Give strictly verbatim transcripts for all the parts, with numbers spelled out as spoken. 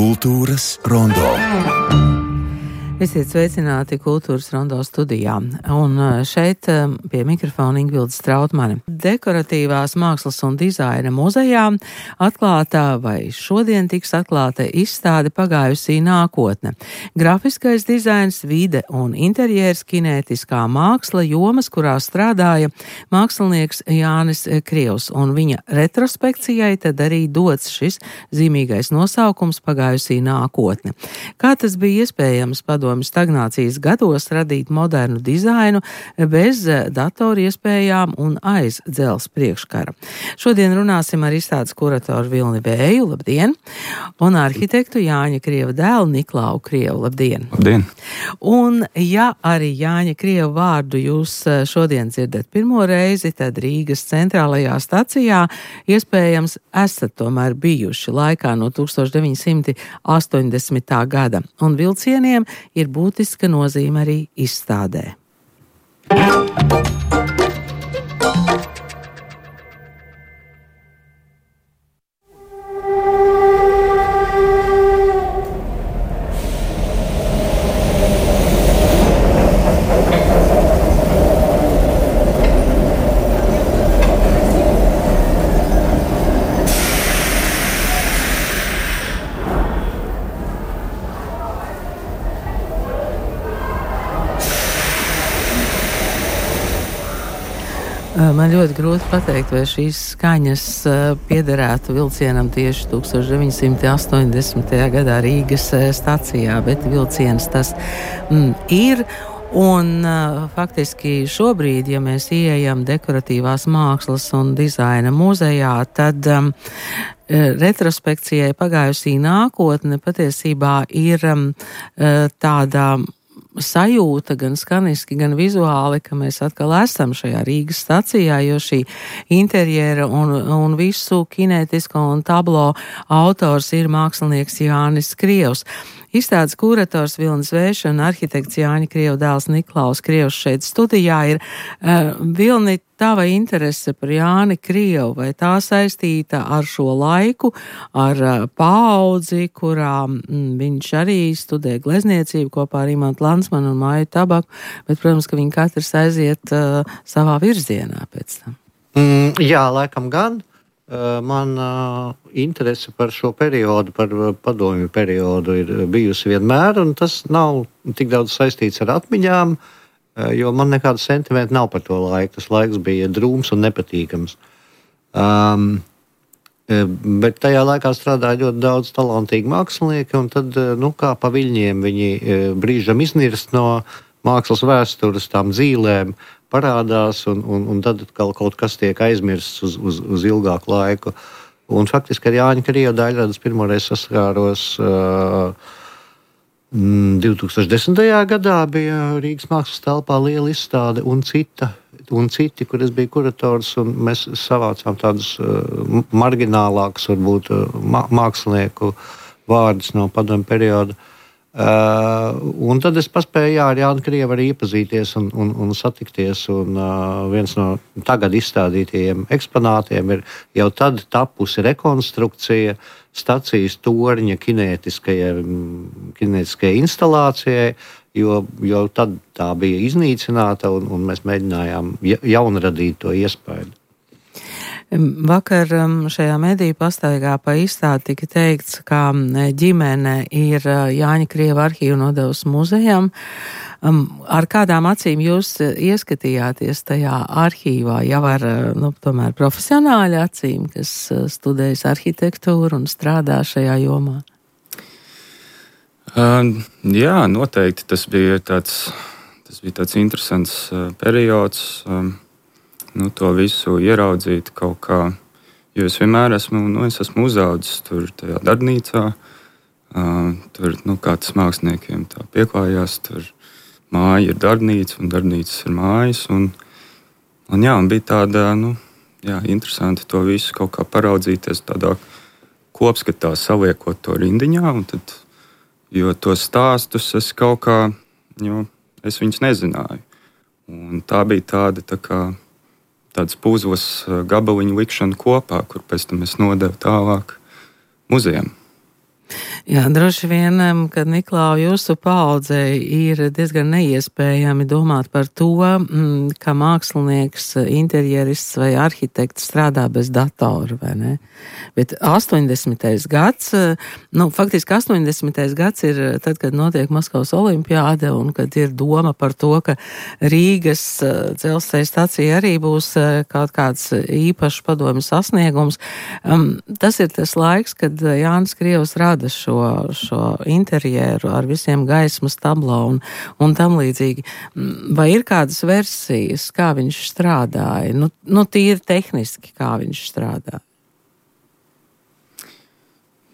Kultūras rondo. Esiet sveicināti Kultūras rondo studijā. Un šeit pie mikrofona Ingvilde Strautmane. Dekoratīvās mākslas un dizaina muzejā atklātā vai šodien tiks atklāta izstāde Pagājusī nākotne. Grafiskais dizains, vide un interjērs, kinētiskā māksla, jomas, kurā strādāja mākslinieks Jānis Krievs. Un viņa retrospekcijai tad arī dots šis zīmīgais nosaukums Pagājusī nākotne. Kā tas bija iespējams padomju stagnācijas gados radīt modernu dizainu bez datoru iespējām un aiz dzelzs priekškara. Šodien runāsim ar izstādes kuratoru Vilni Vēju, labdien, un arhitektu Jāņa Krieva dēlu Niklau Krievu, labdien. Labdien. Un ja arī Jāņa Krieva vārdu jūs šodien dzirdat pirmo reizi, tad Rīgas centrālajā stacijā iespējams esat tomēr bijuši laikā no tūkstoš deviņi simti astoņdesmitā gada, un vilcieniem ir būtiska nozīme arī izstādē. Man ļoti grūti pateikt, vai šīs skaņas piederētu vilcienam tieši tūkstoš deviņi simti astoņdesmitajā gadā Rīgas stacijā, bet vilciens tas mm, ir. Un faktiski šobrīd, ja mēs ieejam dekoratīvās mākslas un dizaina muzejā, tad um, retrospekcijai Pagājusī nākotne patiesībā ir um, tāda sajūta gan skaniski, gan vizuāli, ka mēs atkal esam šajā Rīgas stacijā, jo šī interjera un, un visu kinētisko un tablo autors ir mākslinieks Jānis Krievs. Izstādes kurators Vilnis Vējš un arhitekts Jāņa Krieva dēls Niklaus Krievs šeit studijā ir. Uh, Vilni, tava interese par Jāni Krievu, vai tā saistīta ar šo laiku, ar uh, paudzi, kurā mm, viņš arī studē glezniecību kopā ar Imantu Landsmanu un Māju Tabaku, bet, protams, ka viņi katrs aiziet uh, savā virzienā pēc tam. Mm, jā, laikam gan. Man uh, interese par šo periodu, par padomju periodu ir bijusi vienmēr, un tas nav tik daudz saistīts ar atmiņām, uh, jo man nekāda sentimenta nav par to laiku. Tas laiks bija drūms un nepatīkams. Um, bet tajā laikā strādāja ļoti daudz talantīgi mākslinieki, un tad, nu, kā pa viļņiem viņi brīžam iznirst no mākslas vēstures, tām dzīlēm, parādās, un, un, un tad kaut kas tiek aizmirsts uz, uz, uz ilgāku laiku. Un faktiski ar Jāņa Krieva daļradas pirmoreiz saskāros uh, divtūkstoš desmitajā gadā bija Rīgas mākslas telpā liela izstāde un cita, un citi, kur es biju kurators, un mēs savācām tādus uh, marginālākus, varbūt, uh, mākslinieku vārdus no padomju perioda. Uh, un tad es paspēju jā, ar Jānu Krievu arī iepazīties un, un, un satikties, un uh, viens no tagad izstādītajiem eksponātiem ir jau tad tapusi rekonstrukcija stacijas torņa kinētiskajai, kinētiskajai instalācijai, jo, jo tad tā bija iznīcināta, un, un mēs mēģinājām jaunradīt to iespēju. Vakar šajā mediju pastaigā pa izstādi tika teikts, ka ģimene ir Jāņa Krieva arhīvu nodevusi muzejam. Ar kādām acīm jūs ieskatījāties tajā arhīvā? Jau ar, nu, tomēr profesionāļu acīm, kas studējas arhitektūru un strādā šajā jomā? Uh, jā, noteikti. Tas bija tāds, tas bija tāds interesants uh, periods. Um, Nu, to visu ieraudzīt kaut kā, jo es vienmēr esmu, nu, es esmu uzaudzis tur tajā darbnīcā, uh, tur, nu, kā tas māksliniekiem tā pieklājās, tur māja ir darbnīca un darbnīcas ir mājas, un, un jā, un bija tāda, nu, jā, interesanti to visu kaut kā paraudzīties tādā kopskatā, saliekot to rindiņā, un tad, jo tos stāstus es kaut kā, jo es viņus nezināju, un tā bija tāda, tā kā, tāds puzles gabaliņu likšana kopā, kur pēc tam es nodevu tālāk muzejam. Jā, droši vien, kad Niklau jūsu paaudzei ir diezgan neiespējami domāt par to, ka mākslinieks, interjerists vai arhitekts strādā bez datora, vai ne? Bet astoņdesmitais gads, nu, faktiski astoņdesmitais gads ir tad, kad notiek Maskavas olimpiāde un kad ir doma par to, ka Rīgas dzelzceļa stacija arī būs kaut kāds īpašs padomju sasniegums. Tas ir tas laiks, kad Jānis Krievs rada šo šo interjeru ar visiem gaismas tablo un, un tam līdzīgi. Vai ir kādas versijas, kā viņš strādāja? Nu, nu tīri tehniski, kā viņš strādāja?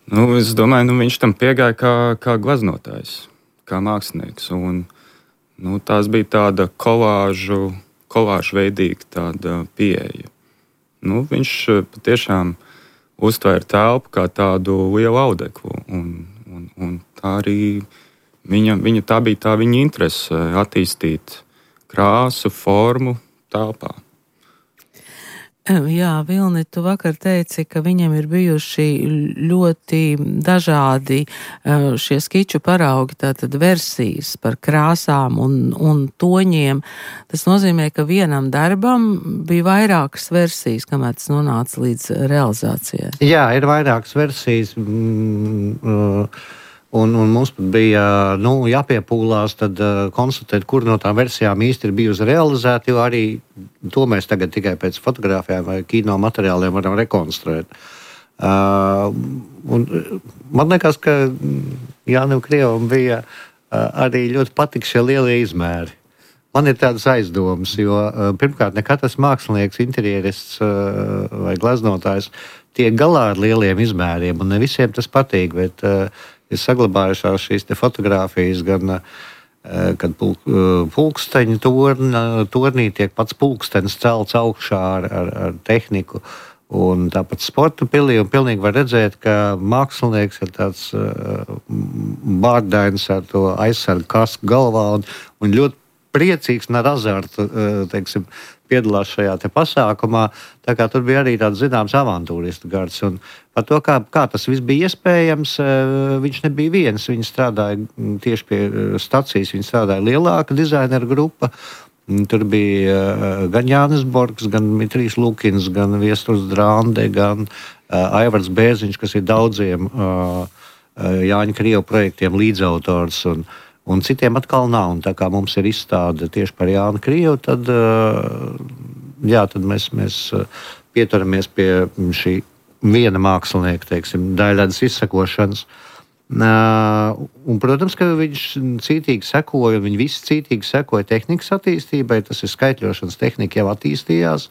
Nu, es domāju, nu, viņš tam piegāja kā, kā glaznotājs, kā mākslinieks. Un, nu, tās bija tāda kolāžu, kolāžu veidīga tāda pieeja. Nu, viņš patiešām uztvēra telpu kā tādu lielu audeklu. Un, un, un tā arī viņa, viņa, tā bija tā viņa interese attīstīt krāsu, formu telpā. Jā, Vilni, tu vakar teici, ka viņam ir bijuši ļoti dažādi šie skiču paraugi, tātad versijas par krāsām un, un toņiem. Tas nozīmē, ka vienam darbam bija vairākas versijas, kamēr tas nonāca līdz realizācijai. Jā, ir vairākas versijas. Mm, uh, Un, un mums bija nu, jāpiepūlās, tad uh, konstatēt, kur no tām versijām īsti ir bijusi realizēta, jo arī to mēs tagad tikai pēc fotogrāfijām vai kino materiāliem varam rekonstruēt. Uh, un, man liekas, ka Jānim Krievam bija uh, arī ļoti patika šie lielie izmēri. Man ir tādas aizdomas, jo uh, pirmkārt, ne katrs mākslinieks, interjerists uh, vai glaznotājs tiek galā ar lieliem izmēriem, un ne visiem tas patīk, bet uh, ir saglabājušās šīs fotogrāfijas, gan kad pulk, pulksteņa torn, tornī tiek pats pulkstenis celts augšā ar, ar, ar tehniku. Un tāpat sporta pilī, un pilnīgi var redzēt, ka mākslinieks ir tāds bārdains ar to aizsargu kasku galvā un, un ļoti priecīgs un ar azartu, teiksim, piedalās šajā te pasākumā. Tā kā tur bija arī tāds zināms avantūristu gars. Un par to, kā, kā tas viss bija iespējams, viņš nebija viens. Viņš strādāja tieši pie stacijas, viņš strādāja lielāka dizaineru grupa. Tur bija gan Jānis Borgs, gan Dmitrijs Lukins, gan Viesturs Drande, gan uh, Aivars Bēziņš, kas ir daudziem uh, Jāņa Krieva projektiem līdzautors. Un, Un citiem atkal nav. Un tā kā mums ir izstāde tieši par Jānu Krievu, tad, jā, tad mēs, mēs pieturamies pie šī viena mākslinieka, teiksim, daļradas izsakošanas. Un, protams, ka viņš cītīgi sekoja, un viņi visi cītīgi sekoja tehnikas attīstībai. Tas ir skaitļošanas tehnika jau attīstījās.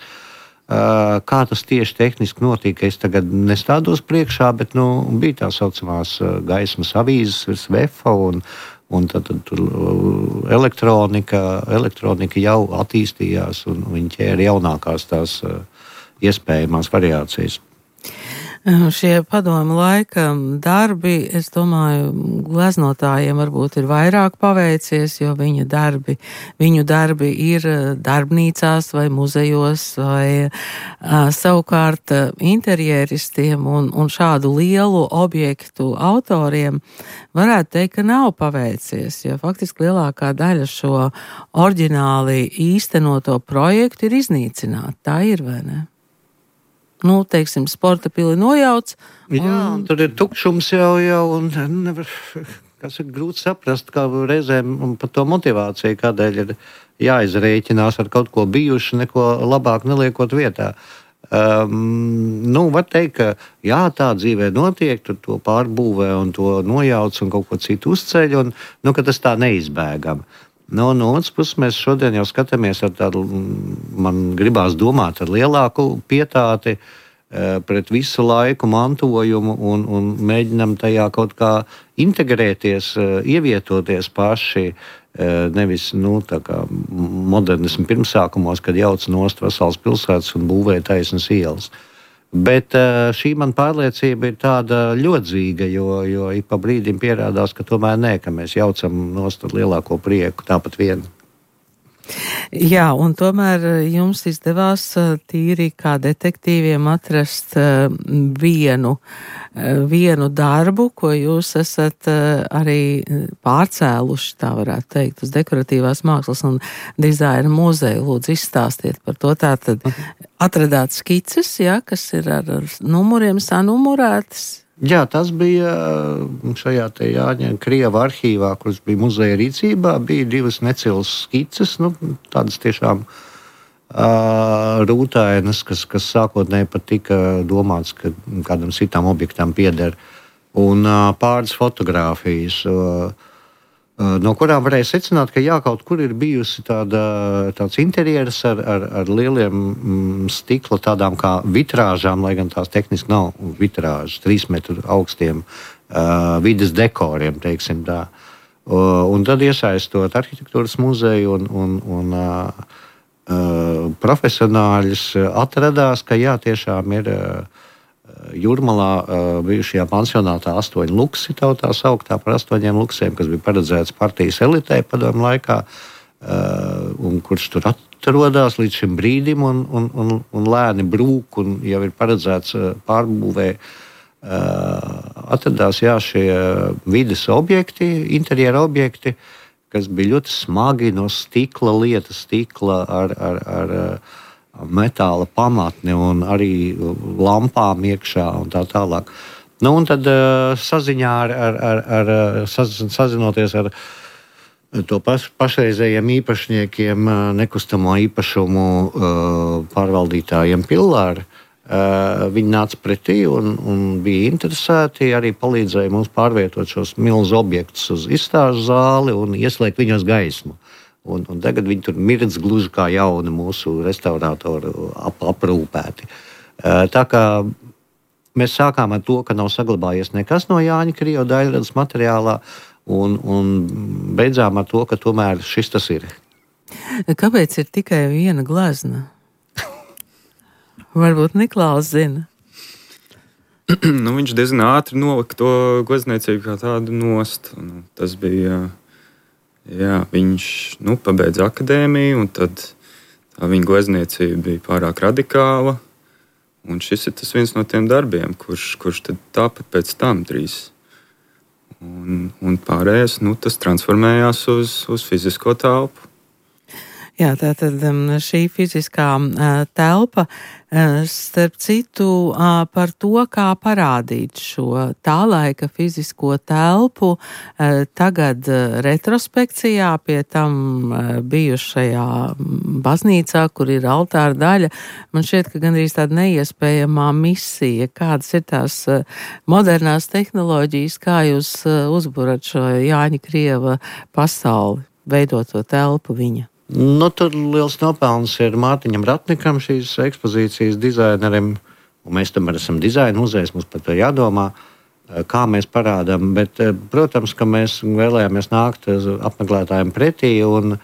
Kā tas tieši tehniski notika, es tagad nestādos priekšā, bet nu, bija tā saucamās gaismas avīzes virs vefa un Un tad, tad tur elektronika, elektronika jau attīstījās, un viņi ķēra jaunākās tās iespējamās variācijas. Šie padomu laika darbi, es domāju, gleznotājiem varbūt ir vairāk paveicies, jo viņa darbi, viņu darbi ir darbnīcās vai muzejos vai uh, savukārt interjeristiem un, un šādu lielu objektu autoriem varētu teikt, ka nav paveicies, jo faktiski lielākā daļa šo oriģināli īstenoto projektu ir iznīcināta. Tā ir, vai ne? Nu, teiksim, sporta pili nojauc. Un... Jā, un tur ir tukšums jau, jau un nevar, kas ir grūti saprast, kā reizēm par to motivāciju, kādēļ ir jāizrēķinās ar kaut ko bijuši, neko labāk neliekot vietā. Um, nu, var teikt, ka jā, tā dzīvē notiek, tur to pārbūvē un to nojauc un kaut ko citu uzceļ, un nu, ka tas tā neizbēgam. No, no otras puses, mēs šodien jau skatāmies ar tādu, man gribās domāt, ar lielāku pietāti e, pret visu laiku mantojumu un, un mēģinam tajā kaut kā integrēties, e, ievietoties paši, e, nevis, nu, tā kā modernismu pirmsākumos, kad jauc nost vesels pilsētas un būvē taisnas ielas. Bet šī man pārliecība ir tāda ļodzīga, jo, jo ik pa brīdim pierādās, ka tomēr nē, ka mēs jaucam nost ar lielāko prieku tāpat vien. Jā, un tomēr jums izdevās tīri kā detektīviem atrast vienu, vienu darbu, ko jūs esat arī pārcēluši, tā varētu teikt, uz dekoratīvās mākslas un dizaina muzeju. Lūdzu, izstāstiet par to. Tātad atradāt skices, jā, kas ir ar numuriem sanumurētas. Jā, tas bija šajā te Jāņa Krieva arhīvā, kuras bija muzeja rīcībā, bija divas necilas skices, nu, tādas tiešām uh, rūtainas, kas, kas sākotnēji pat tika domāts, ka kādam citām objektam pieder, un uh, pāris fotogrāfijas, uh, uh, no kurām varēja secināt, ka jā, kaut kur ir bijusi tāda, tāds interjeras ar, ar, ar lieliem mm, stikla, tādām kā vitrāžām, lai gan tās tehniski nav vitrāžas, trīs metru augstiem uh, vides dekoriem, teiksim tā. Uh, un tad iesaistot arhitektūras muzeju un, un, un uh, uh, profesionāļus, atradās, ka jā, tiešām ir uh, Jūrmalā uh, bijušajā pansionātā astoņi luksi, tā sauktā par astoņiem luksiem, kas bija paredzēts partijas elitei padomu laikā, uh, un kurš tur atrodas līdz šim brīdim un, un, un, un lēni brūk, un jau ir paredzēts uh, pārbūvē. Uh, atradās jā, šie vides objekti, interjera objekti, kas bija ļoti smagi no stikla, lieta stikla ar, ar, ar metāla pamatni un arī lampām iekšā un tā tālāk. Nu, un tad saziņā ar, ar, ar, ar saz, sazinoties ar to paš, pašreizējiem īpašniekiem, nekustamo īpašumu pārvaldītājiem Pillāri, viņi nāca pretī un, un bija interesēti, arī palīdzēja mums pārvietot šos milzu objektus uz izstāžu zāli un ieslēgt viņos gaismu. Un, un tagad viņi tur mirdz gluži kā jauni mūsu restaurātori ap, aprūpēti. Tā kā mēs sākām ar to, ka nav saglabājies nekas no Jāņa Krieva daļradas materiālā, un, un beidzām ar to, ka tomēr šis tas ir. Kāpēc ir tikai viena glezna? Varbūt Niklaus zina. Nu, viņš diezgan ātri nolika to glezniecību kā tādu nost. Nu, tas bija... Jā, viņš nu, pabeidza akadēmiju, un tad tā viņa glezniecība bija pārāk radikāla. Un šis ir tas viens no tiem darbiem, kurš, kurš tad tāpat pēc tam drīz. Un, un pārējais, nu, tas transformējās uz, uz fizisko telpu. Jā, tātad šī fiziskā telpa, starp citu, par to, kā parādīt šo tā laika fizisko telpu, tagad retrospekcijā pie tam bijušajā baznīcā, kur ir altāra daļa, man šķiet, ka gandrīz tāda neiespējamā misija. Kādas ir tās modernās tehnoloģijas, kā jūs uzburat šo Jāņa Krieva pasauli, veidot to telpu viņa? Nu, tur liels nopelns ir Mārtiņam Ratnikam, šīs ekspozīcijas dizainerim, un mēs tam esam dizaina muzejs, mums par to jādomā, kā mēs parādām, bet, protams, ka mēs vēlējāmies nākt apmeklētājiem pretī, un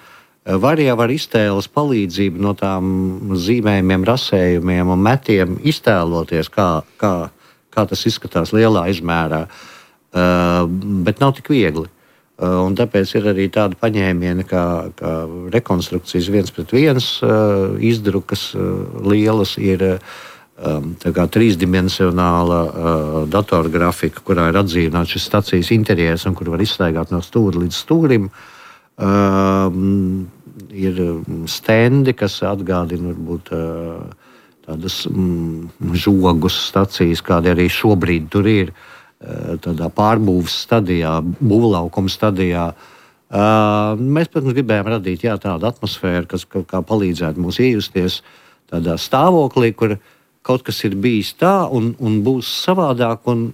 var jau ar iztēles palīdzību no tām zīmējumiem, rasējumiem un metiem iztēloties, kā, kā, kā tas izskatās lielā izmērā, bet nav tik viegli. Un tāpēc ir arī tāda paņēmiena, kā, kā rekonstrukcijas viens pret viens izdrukas lielas, ir tā kā trīsdimensionāla datorgrafika, kurā ir atzīmēts šis stacijas interjers un kur var izstaigāt no stūra līdz stūrim. Ir stendi, kas atgādina varbūt tādas žogus stacijas, kādi arī šobrīd tur ir. Tādā pārbūves stadijā, būvlaukuma stadijā. Uh, mēs, protams, gribējām radīt jā, tādu atmosfēru, kas kā, kā palīdzētu mums iejusties tādā stāvoklī, kur kaut kas ir bijis tā un, un būs savādāk. Un,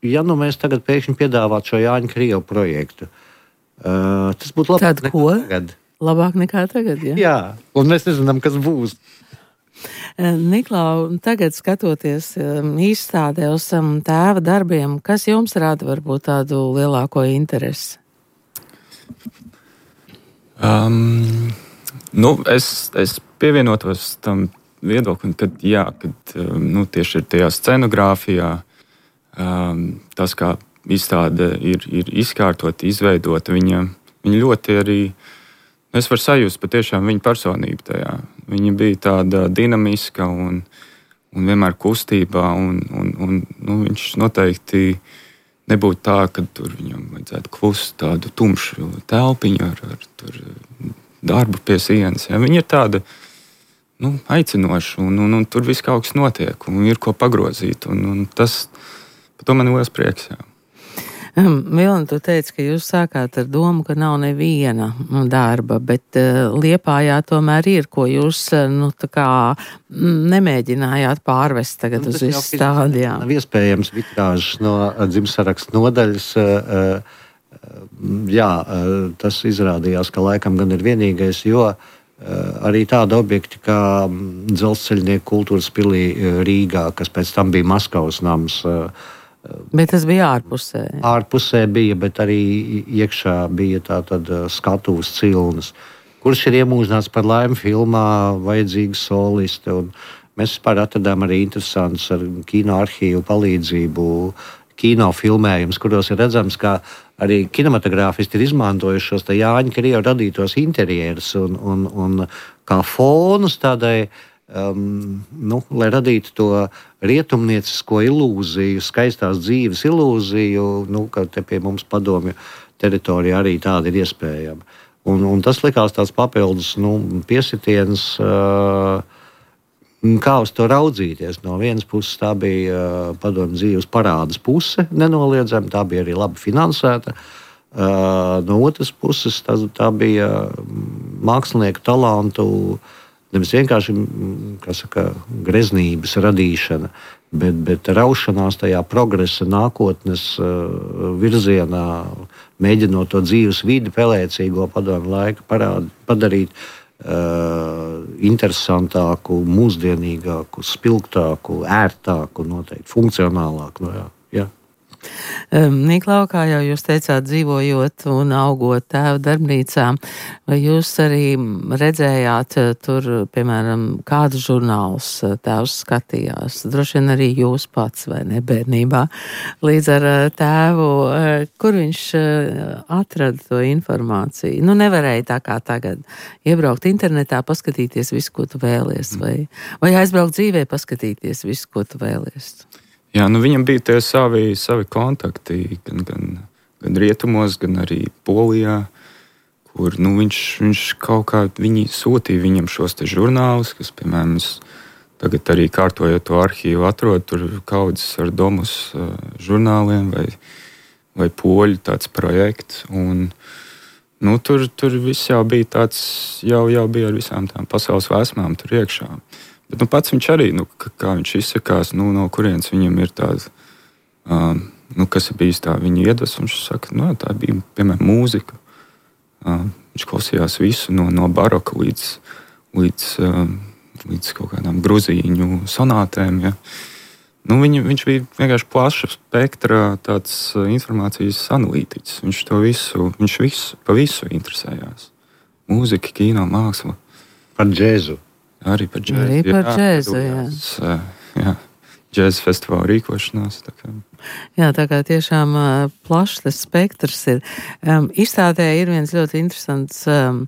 ja nu mēs tagad pēkšņi piedāvātu šo Jāņa Krieva projektu, uh, tas būtu labāk nekā tagad. Labāk nekā tagad, jā? Jā, un mēs nezinām, kas būs. Niklau, tagad skatoties izstādē uz tēva darbiem, kas jums rada varbūt tādu lielāko interesi? Um, nu, es, es pievienotos tam viedoklim, ka jā, kad, nu, tieši ir tajā scenogrāfijā, um, tas, kā izstāde ir, ir izkārtota, izveidota, viņa, viņa ļoti arī Es varu sajust patiešām viņa personību tajā. Viņa bija tāda dinamiska un, un vienmēr kustībā, un, un, un nu, viņš noteikti nebūtu tā, ka tur viņam vajadzētu klust tādu tumšu telpiņu ar, ar tur, darbu pie sienas. Ja. Viņa ir tāda nu, aicinoša, un, un, un tur viss kaut kas notiek, un ir ko pagrozīt. Un, un tas, par to man ir liels prieks. Jā. Vilni, tu teici, ka jūs sākāt ar domu, ka nav neviena darba, bet uh, Liepājā tomēr ir, ko jūs uh, nu, tā kā nemēģinājāt pārvest tagad nu, uz visu stādi. Nav iespējams vitrāžas no dzimtsarakstu nodaļas. Uh, uh, jā, uh, tas izrādījās, ka laikam gan ir vienīgais, jo uh, arī tādi objekti kā Dzelzceļnieku kultūras pilī Rīgā, kas pēc tam bija Maskavas nams, uh, bet tas bija ārpusē. Ārpusē bija, bet arī iekšā bija tātad skatuves cilnas, kurš ir iemūžināts par laimi filmā vajadzīga soliste. Un mēs vispār atradām arī interesants ar kino arhīvu palīdzību kino filmējums, kuros ir redzams, ka arī kinematogrāfisti ir izmantojuši šos te Jāņa Krievu radītos interjerus un, un, un kā fonus tādai Um, nu, lai radītu to rietumniecisko ilūziju, skaistās dzīves ilūziju, nu, ka te pie mums padomju teritorijā arī tāda ir iespējama. Un, un tas likās tāds papildus nu, piesitiens, uh, kā uz to raudzīties. No vienas puses tā bija uh, padomju dzīves parādas puse, nenoliedzami, tā bija arī labi finansēta. Uh, no otras puses tā, tā bija mākslinieku talantu nevis vienkārši saka, greznības radīšana, bet, bet raušanās tajā progresa nākotnes uh, virzienā, mēģinot to dzīves vidi pelēcīgo padomju laiku parād, padarīt uh, interesantāku, mūsdienīgāku, spilgtāku, ērtāku, noteikti funkcionālāku. No, jā, jā. Niklau, kā jau jūs teicāt, dzīvojot un augot tēva darbnīcā, vai jūs arī redzējāt tur, piemēram, kādus žurnālus tēvs skatījās? Droši vien arī jūs pats, vai ne, bērnībā, līdz ar tēvu, kur viņš atrada to informāciju? Nu, nevarēja tā kā tagad iebraukt internetā, paskatīties visu, ko tu vēlies, vai, vai aizbraukt dzīvē, paskatīties visu, ko tu vēlies? Jā, nu viņam bija tie savi, savi kontakti, gan, gan, gan rietumos, gan arī Polijā, kur nu, viņš, viņš kaut kā viņi sūtīja viņam šos te žurnālus, kas, piemēram, tagad arī kārtojot to arhīvu atrod, tur kaudzes ar domus uh, žurnāliem vai, vai poļu tāds projekts. Un, nu, tur, tur viss jau bija tāds, jau, jau bija ar visām tām pasaules vēsmām tur iekšā. Bet nu, pats viņš arī, nu, kā viņš izsakās, nu, no kurienes viņam ir tāds, um, nu, kas ir bijis tā viņa iedvesma. Viņš saka, nu, tā bija, piemēram, mūzika. Um, viņš klausījās visu no, no baroka līdz, līdz, um, līdz kaut kādām gruzīņu sonātēm. Ja. Nu, viņa, viņš bija vienkārši plaša spektra tāds uh, informācijas analītiķis. Viņš to visu, viņš visu, pa visu interesējās. Mūzika, kino, māksla. Par džēzu. Arī par džēzu. Arī par jā, džēzu, jā. jā. jā. Džēzu festivāla rīkošanās. Tā kā. Jā, tā kā tiešām uh, plašs tas spektrs ir. Um, izstādē ir viens ļoti interesants um,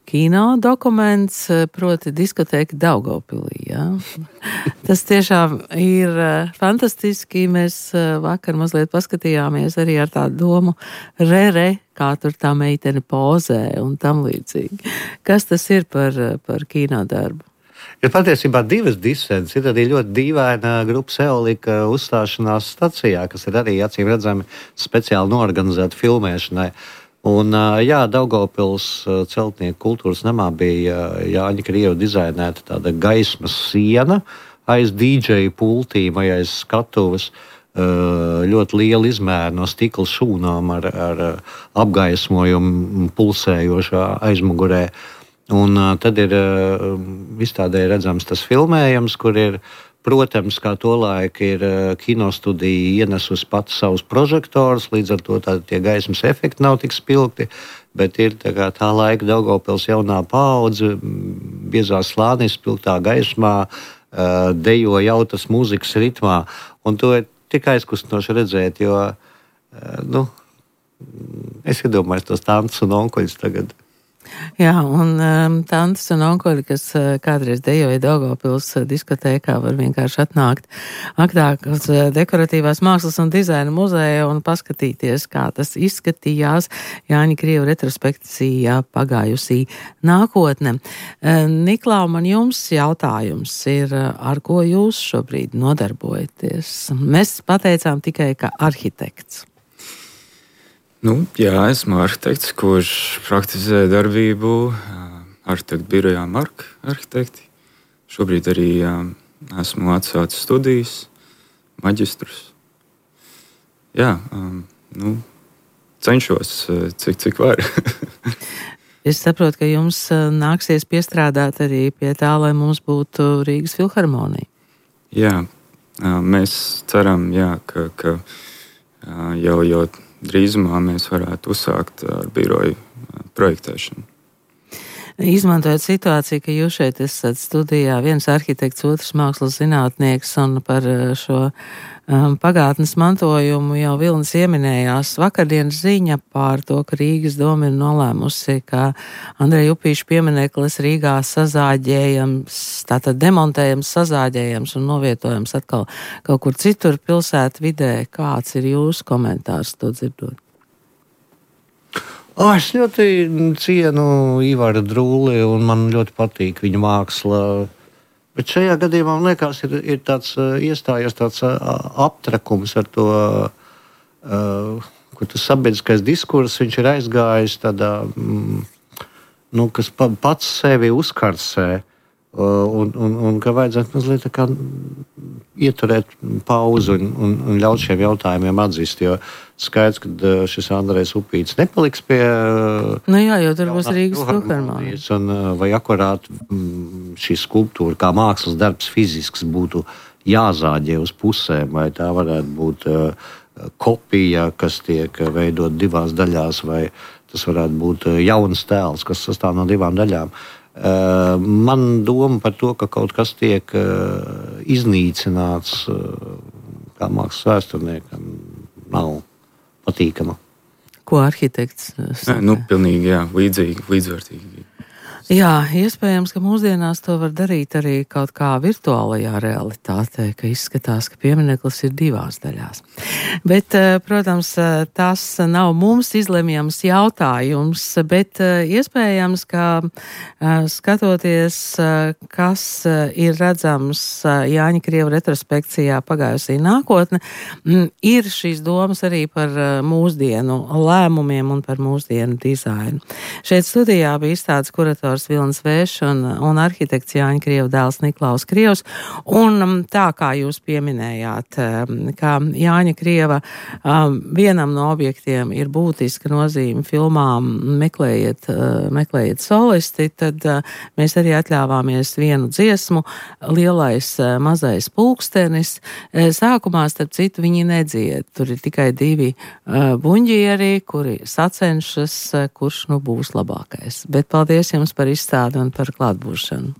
kino dokuments, proti diskotēka Daugavpilī. Jā. Tas tiešām ir uh, fantastiski. Mēs uh, vakar mazliet paskatījāmies arī ar tādu domu re-re, kā tur tā meitene pozē un tam līdzīgi. Kas tas ir par, par kino darbu? Ir patiesībā divas disences. Ir arī ļoti dīvaina grupas Eolika uzstāšanās stacijā, kas ir arī acīm redzami speciāli norganizēta filmēšanai. Un, jā, Daugavpils celtnieku kultūras namā bija Jāņa Krievu dizainēta tāda gaismas siena aiz dīdžeju pultīm vai aiz skatuves. Ļoti liela izmēra no stikla šūnām ar, ar apgaismojumu pulsējošā aizmugurē. Un uh, tad ir uh, izstādē redzams tas filmējums, kur ir, protams, kā tolaik ir uh, kinostudija ienesusi pati savus prožektorus, līdz ar to tā, tie gaismas efekti nav tik spilgti, bet ir tā, kā, tā laika Daugavpils jaunā paudze, biezā slānī, spilgtā gaismā, uh, dejo jautas mūzikas ritmā. Un to ir tik aizkustinoši redzēt, jo, uh, nu, es iedomājos tos tantus un onkuļus tagad. Jā, un um, tantes un onkuļi, kas uh, kādreiz dejoja Daugavpils uh, diskotēkā, var vienkārši atnākt aktāk uz uh, dekoratīvās mākslas un dizaina muzeja un paskatīties, kā tas izskatījās Jāņa Krieva retrospekcijā pagājusī nākotne. Uh, Niklau, man jums jautājums ir, uh, ar ko jūs šobrīd nodarbojaties? Mēs pateicām tikai, ka arhitekts. Nu, jā, esmu arhitekts, kurš praktizē darbību arhitektu birojā Marka arhitekti. Šobrīd arī jā, esmu atsācis studijas, maģistrus. Jā, nu, cenšos, cik, cik var. Es saprotu, ka jums nāksies piestrādāt arī pie tā, lai mums būtu Rīgas filharmonija. Jā, mēs ceram, jā, ka, ka jau, jau drīzumā mēs varētu uzsākt ar biroju projektēšanu. Izmantojot situāciju, ka jūs šeit esat studijā, viens arhitekts, otrs mākslas zinātnieks, un par šo um, pagātnes mantojumu jau Vilnis ieminējās. Vakardienas ziņa par to, ka Rīgas doma ir nolēmusi, ka Andreja Upīša piemineklis Rīgā sazāģējams, tātad demontējams, sazāģējams un novietojams atkal kaut kur citur pilsētu vidē. Kāds ir jūsu komentārs to dzirdot? Oh, es ļoti cienu Ivaru Drūli un man ļoti patīk viņa māksla. Bet šajā gadījumā, man liekas, ir, ir tāds iestājies tāds aptrakums ar to, uh, kur tas sabiedriskais diskurss, viņš ir aizgājis tādā, mm, nu, kas pa, pats sevi uzkarsē. Uh, un, un, un ka vajadzētu mazliet tā kā ieturēt pauzi un, un, un ļaut šiem jautājumiem atzist, jo skaidrs, ka šis Andrejs Upīts nepaliks pie... Nu jā, jo tur būs Rīgas filharmonija. Vai akurāt šī skulptūra kā mākslas darbs fizisks būtu jāzāģē uz pusēm, vai tā varētu būt uh, kopija, kas tiek veidot divās daļās, vai tas varētu būt jauns tēls, kas sastāv no divām daļām. Uh, man doma par to, ka kaut kas tiek uh, iznīcināts uh, kā mākslas vēsturniekam, nav patīkama. Ko arhitekts saka? Nu, pilnīgi, jā, līdzīgi, līdzvērtīgi. Jā, iespējams, ka mūsdienās to var darīt arī kaut kā virtuālajā realitātē, ka izskatās, ka piemineklis ir divās daļās. Bet, protams, tas nav mums izlemjams jautājums, bet iespējams, ka skatoties, kas ir redzams Jāņa Krieva retrospekcijā pagājusī nākotne, ir šīs domas arī par mūsdienu lēmumiem un par mūsdienu dizainu. Šeit studijā bija izstādes kurators Vilnis Vēšs un, un arhitekts Jāņa Krieva dēls Niklaus Krievs. Un tā kā jūs pieminējāt, ka Jāņa Krieva um, vienam no objektiem ir būtiska nozīme filmām meklējiet, uh, meklējiet solisti, tad uh, mēs arī atļāvāmies vienu dziesmu, Lielais uh, mazais pulkstenis. Sākumā, starp citu, viņi nedzied. Tur ir tikai divi uh, buņģieri, kuri sacenšas, uh, kurš nu būs labākais. Bet paldies jums par izstādi un par klātbūšanu.